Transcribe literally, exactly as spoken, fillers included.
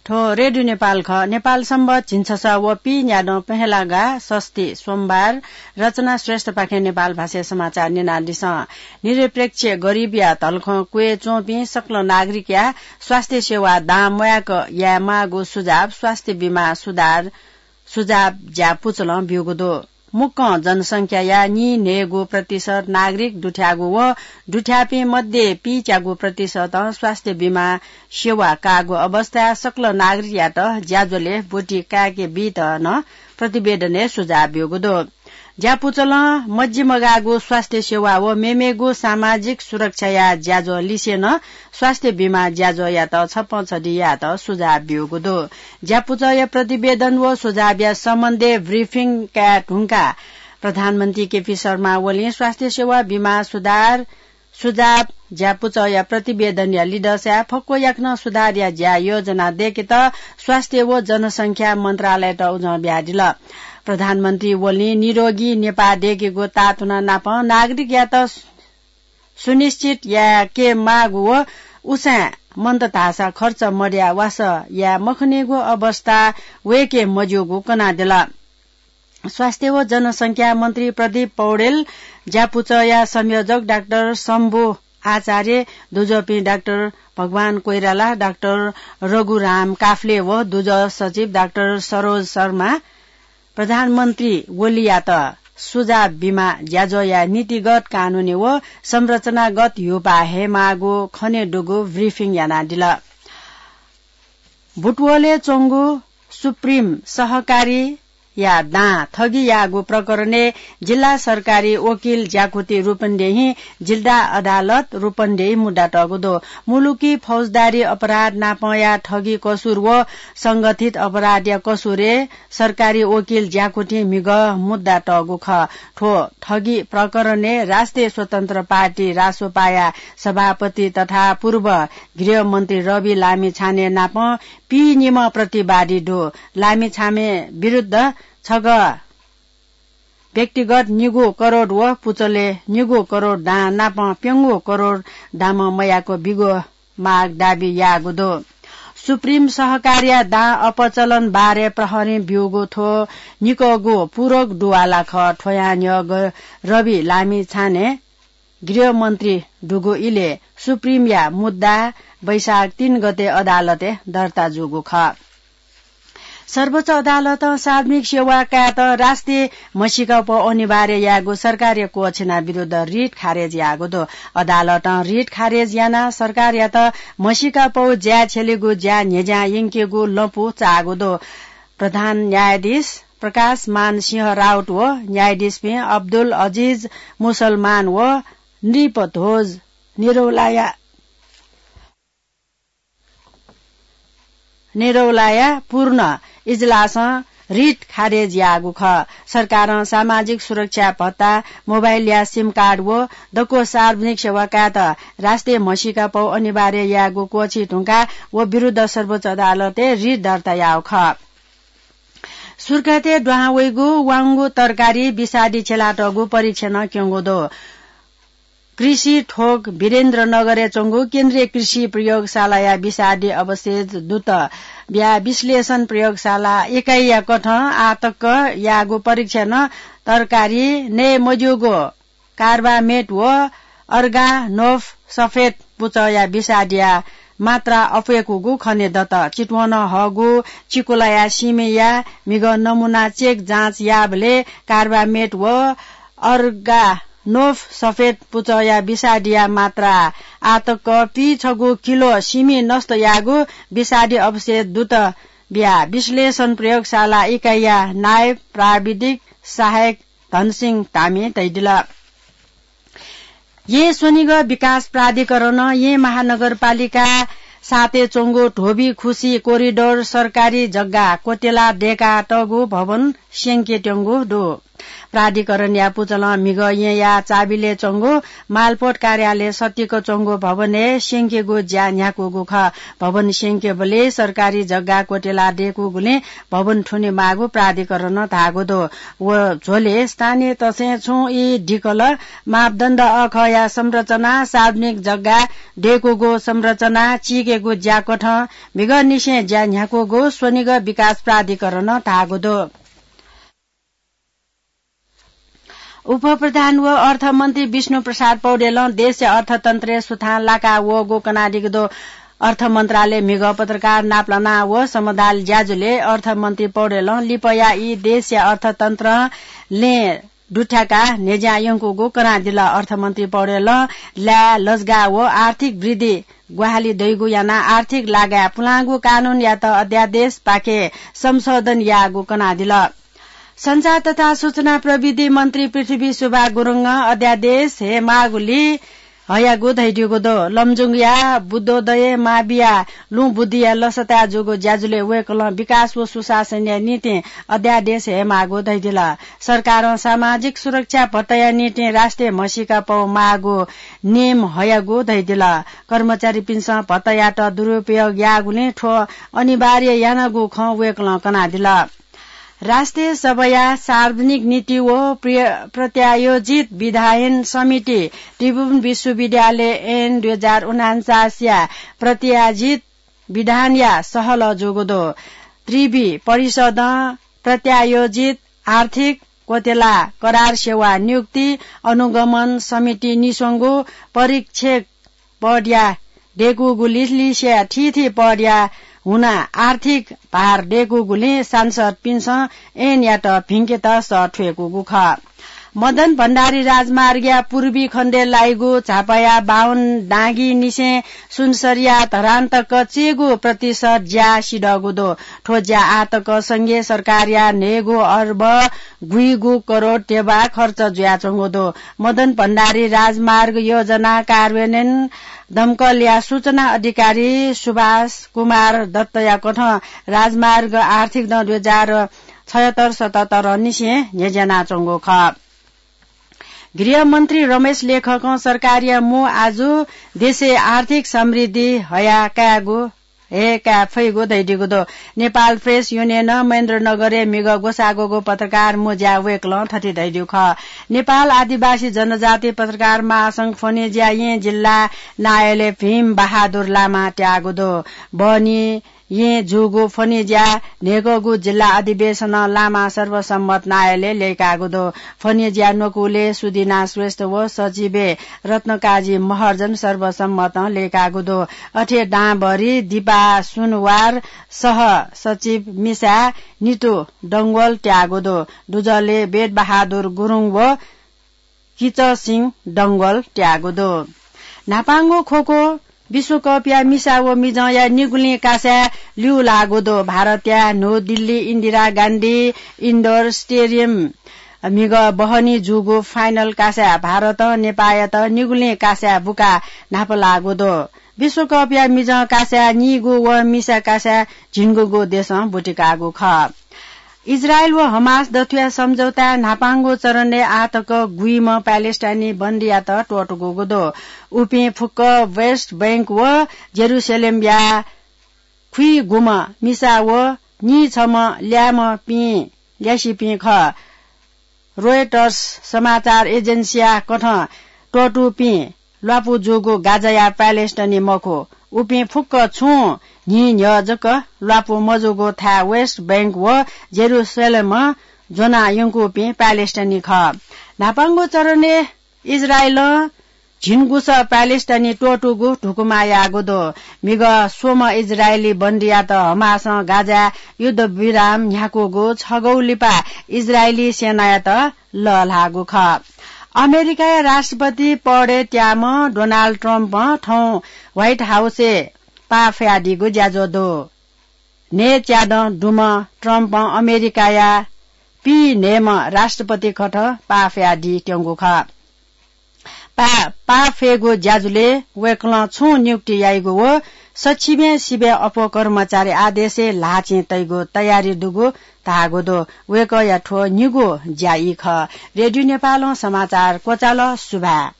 थ्व रेडियो नेपाल खः। नेपाल संवत् झिंछसः व पीन्यादँ पहेँलागा षष्ठी सोमबार। रचना श्रेष्ठपाखें नेपाल भाषाय् समाचार न्यनादिसँ। निरपेक्ष गरिबया धलखं क्वय् च्वंपिं सकल नागरिकया स्वास्थ्य सेवा दां म्वाय्क यायेमाःगु सुझाव स्वास्थ्य बीमा सुधार सुझाव ज्यापुचलं ब्यूगु दु। मुक्कं जनसंख्याया नीन्हय्गू प्रतिशत नागरिक दुथ्याःगु व दुथ्याःपिं मध्ये पीच्यागू प्रतिशतं स्वास्थ्य बीमा सेवा काःगु अवस्थाय् सकल नागरिकयात ज्याझ्वलय् ब्वति काय्के बीत नं प्रतिवेदनय् सुझाव ब्यूगु दु। ज्यापुचलं मजिमगाःगु स्वास्थ्य सेवा व मेमेगु सामाजिक सुरक्षाया ज्याझ्वः लिसे नं स्वास्थ्य बीमा ज्याझ्वःयात छप्पँ छधि यायेत सुझाव ब्यूगु दु। ज्यापुचःया प्रतिवेदन व सुझावया सम्बन्धय् ब्रिफिङ काये धुंकाः प्रधानमन्त्री केपी शर्मा ओलीं स्वास्थ्य सेवा बीमा सुधार सुझाव ज्यापुचःया प्रतिवेदनया लिधंसाय् फक्व याकनं सुधारया ज्या योजना दय्केत स्वास्थ्य व जनसंख्या मन्त्रालययात उजं बियादिल। प्रधानमन्त्री ओलीं निरोगी नेपाः दय्केगु तातुना नाप नागरिकयात सुनिश्चित यायेके माःगु व उसाँय् मन्त धाःसा खर्च मदयाः वासः याये मखनीगु अवस्था वय्के मज्यूगु कनादिल। स्वास्थ्य व जनसंख्या मन्त्री प्रदीप पौडेल, ज्यापुचःया संयोजक डाक्टर शम्भु आचार्य, दुजःपिं डाक्टर भगवान कोइराला, डाक्टर रघुराम काफ्ले व दुजः सचिव डाक्टर सरोज शर्मा प्रधानमन्त्री ओलीयात सुझाव बीमा ज्याझ्वःया नीतिगत, कानूनी व संरचनागत ह्यूपाः हयेमाःगु खनेदुगु ब्रिफिङ यानादिल। बुटवलय् च्वंगु सुप्रिम सहकारीया दां थगि याःगु प्रकरणय् जिल्ला सरकारी वकिल ज्याकुथि रूपन्देही जिल्ला अदालत रूपन्देही मुद्दा तःगु दु। मुलुकी फौजदारी अपराध नापंया थगि कसुर व संगठित अपराधया कसुरय् सरकारी वकिल ज्याकुथिं म्हिगः मुद्दा तःगु खः। थ्व थगि प्रकरणय् राष्ट्रिय स्वतन्त्र पार्टी रासोपाया सभापति तथा पूर्व गृहमन्त्री रवि लामिछाने नाप पीनिम्ह प्रतिवादी दु। लामिछाने विरुद्ध छगः व्यक्तिगत निगू करोड व पुचलय् निगू करोड दां नाप प्यंगू करोड दाम मयाक बिगु माग दाबी याःगु दु। सुप्रिम सहकारीया दां अपचलन बारे प्रहरीं ब्यूगु थ्व निकःगु पूरक दुवाला खः। थ्वया न्ह्यः रवि लामिछाने गृहमन्त्री दुगु इलय् सुप्रिमया मुद्दा वैशाख तीन गते अदालतय् दर्ता जूगु खः। सर्वोच्च अदालतं सार्वजनिक सेवा कायेत राष्ट्रिय म्हसीका पौ अनिवार्य यायेगु सरकारया क्वःछिना विरुद्ध रिट खारेज याःगु दु। अदालतं रिट खारेज यानाः सरकारयात म्हसीका पौ ज्याय् छ्यलेगु ज्या न्ह्यज्यां यंकेगु लँपु चाःगु दु। प्रधान न्यायाधीश प्रकाश मान सिंह राउत व न्यायाधीशपिं अब्दुल अजिज मुसलमान व नृपध्वज निरौलाया निरौलाया पूर्ण इजलासं रिट खारेज याःगु खः। सरकारं सामाजिक सुरक्षा भत्ता, मोबाइलया सिम कार्ड व दक्व सार्वजनिक सेवा कायेत राष्ट्रिय म्हसीका पौ अनिवार्य यायेगु क्वःछी धुंकाः व विरुद्ध सर्वोच्च अदालतय् रिट दर्ता याःगु खः। सुर्खेतय् दुहां वइगु वांगु तरकारी विषादी छ्यलातःगु परीक्षणं क्यंगु दु। कृषि थोक वीरेन्द्रनगरय् च्वंगु केन्द्रीय कृषि प्रयोगशालाया विषादी अवशेष दुत ब्या विश्लेषण प्रयोगशाला इकाइया कथं आतक याःगु परीक्षणं तरकारी नये मज्यूगु कार्बामेट व अर्गानोफ सफेद पुचःया विषादीया मात्रा अप्वय्कूगु खनेदत। चितवनं हःगु चिकुलाया सीमिया म्हिगः नमुना चेक जाँच याःबलय् कार्बामेट व अर्गानोफ सफेद पुचःया विषादीया मात्रा आतक पीछगू किलो सीमि नष्ट याःगु विषादी अवशेष दुत बिया विश्लेषण प्रयोगशाला इकाइया नायब प्राविधिक सहायक धनसिंह धामीं धयादिल। येँ स्वनिगः विकास प्राधिकरणं येँ महानगरपालिका सातय् च्वंगु धोबी खुसी कोरिडोर सरकारी जग्गा क्वत्यला दय्कातःगु भवन स्यंकेत्यंगु दु। प्राधिकरणया पुचलं म्हिगः येँया चाबिलय् च्वंगु मालपोत कार्यालय सतिक च्वंगु भवनय् स्यंकेगु ज्या न्ह्याकूगु खः। भवन स्यंकेबलय् सरकारी जग्गा क्वतेला दय्कूगुलिं भवन थुने माःगु प्राधिकरणं धाःगु दु। व झ्वलय् स्थानीय तसें छुं ई दिकल मापदण्ड अखःया संरचना, सार्वजनिक जग्गा दय्कूगु संरचना चीकेगु ज्याकथं म्हिगःनिसें ज्या न्ह्याकूगु स्वनिगः विकास प्राधिकरणं धाःगु दु। उपप्रधान व अर्थमन्त्री विष्णु प्रसाद पौडेलं देशया अर्थतन्त्रय् सुथां लाका वःगु कनादीगु दु। अर्थ मन्त्रालय म्हिगः पत्रकार नापलाना व समदाल ज्याझ्वलय् अर्थमन्त्री पौडेलं लिपया ई देशया अर्थतन्त्रं लँय् दुथ्याकाः न्ह्यज्यां यंकूगु कनादिल। अर्थमन्त्री पौडेलं लाय् लजगाः व आर्थिक वृद्धि ग्वाहालि दइगु यानाः आर्थिक लागाय् पुलांगु कानूनयात अध्यादेशपाखें संशोधन याःगु कनादिल। सञ्चार तथा सूचना प्रविधि मन्त्री पृथ्वी सुब्बा गुरुङं अध्यादेश हये माःगुलिं हयागु धयादीगु दु। लमजुङया बुद्धोदय माविया लुँ बुद्धिया लसताय् जूगु ज्याझ्वलय् वय्कलं विकास व सुशासनया निंतिं अध्यादेश हये माःगु धयादिल। सरकारं सामाजिक सुरक्षा भत्ताया निंतिं राष्ट्रिय म्हसीका पौ माःगु नियम हयागु धयादिल। कर्मचारीपिन्सं भत्तायात दुरुपयोग याःगुलिं थ्व अनिवार्य यानागु खँ वय्कलं कनादिल। राष्ट्रिय सभाया सार्वजनिक नीति व प्रिय-, प्रत्यायोजित विधायन समिति त्रिभुवन विश्वविद्यालय ऐन दुई हजार उनान्चासया प्रत्यायोजित विधानया सहलह जूगु दु। त्रिवि परिषदं प्रत्यायोजित आर्थिक क्वतेला करार सेवा नियुक्ति अनुगमन समिति निस्वंगु परीक्षक पदया दय्कूगु लिसलिसया थीथी पदया हुना आर्थिक भार दय्कूगुलिं सांसदपिन्सं ऐनयात भिंकेत सः थ्वय्कूगु खः। मदन भण्डारी राजमार्गया पूर्वी खण्डय् लाइगु झापाया बाहुन डाँगीनिसें सुनसरीया धरान तक चय्गू प्रतिशत ज्या सिधःगु दु। थ्व ज्या आः तक संघीय सरकारया न्हय्गू अर्ब गुइगू करोड ध्यबा खर्च जुयाच्वंगु दु। मदन भण्डारी राजमार्ग योजना कार्यान्वयन दमकलया सूचना अधिकारी सुभाष कुमार दत्तया कथं राजमार्ग आर्थिक दँ दुई हजार छयत्तर सतहत्तर निसें न्ह्यज्यानाच्वंगु खः। गृहमन्त्री रमेश लेखकं सरकारया मू आजु देशय् आर्थिक समृद्धि हया कायेगु, हये काये फइगु धयादीगु दु। नेपाल प्रेस युनियनं महेन्द्रनगरय् म्हिगः ग्वसाः ग्वःगु पत्रकार मू ज्याय् वय्कलं थथे धयादीगु खः। नेपाल आदिवासी जनजाति पत्रकार महासंघ फनेज्या येँ जिल्ला नायःलय् भीम बहादुर लामा त्याःगु दु। बहनी येँ जूगु फनेज्या न्हय्कःगु जिल्ला अधिवेशनं लामा सर्वसम्मत नायःलय् लय्काःगु दु। फनेज्या न्वकूलय् सुदिना श्रेष्ठ व सचिवय् रत्नकाजी महर्जन सर्वसम्मतं लय्काःगु दु। अथे दांभरि दिपा सुनवार सह सचिव मिसा नितु डंगोल त्याःगु दु। दुजलय् वेदबहादुर गुरुङ व किचसिंह डंगोल त्याःगु दु। न्हापांगु खोखो विश्वकपया मिसा व मिजंया निगुलिं कासाय् ल्यू लाःगु दु। भारतया न्हू दिल्ली इन्दिरा गान्धी इन्डोर स्टेडियम म्हिगः बहनी जूगु फाइनल कासाय् भारतं नेपाःयात निगुलिं कासाय् बुकाः न्हापा लाःगु दु। विश्वकपया मिजं कासाय् नीगु व मिसा कासाय् झिंगुगु देशं बुतिकाःगु खः। इजरायल व हमास दथुया सम्झौताय् न्हापांगु चरणय् आः तक गुइम्ह प्यालेस्टाइनी बन्दीयात त्वःतूगु दु। उपिं फुक्क वेस्ट बैंक व जेरूसलेमया खुइगुम्ह मिसा व नीछम्ह ल्याय्म्हपिं ल्यासेपिं खः। रोयटर्स समाचार एजेन्सीया कथं त्वःतूपिं ल्वापु जूगु गाजाया प्यालेस्टाइनी मखु। उपिं फुक्क छुं न्हि न्ह्यः जक ल्वापु मजूगु थाय् वेस्ट बैंक व जेरूसलेमं ज्वना यंकूपिं प्यालेस्टाइनी खः। न्हापांगु चरणय् इजरायलं झिंगुसः प्यालेस्टाइनी त्वःतूगु धुकुमा याःगु दु। म्हिगः स्वम्ह इजरायली बन्दीयात हमासं गाजाय् युद्धविराम न्ह्याकूगु छगू लिपा इजरायली सेनायात लःल्हाःगु खः। अमेरिकाया राष्ट्रपति पदय् त्याःम्ह डोनाल्ड ट्रम्पं थौं व्हाइट हाउसय् पाफयादीगु ज्याझ्वः दु। न्हय्च्यादँ दुम्ह ट्रम्पं अमेरिकाया पीन्हय्म्ह राष्ट्रपति कथं पाफयादीत्यंगु खः। पा-, पाफयेगु ज्याझ्वलय् वय्कलं छुं नियुक्ति याइगु व सच्छिबय् सिबय् अप्वः कर्मचारी आदेशय् ल्हाःचिं तइगु तयारी दुगु धाःगु दु। वय्कःया थ्व निगू ज्या ई खः। रेडियो नेपालं समाचार क्वचाल। सुभाय्।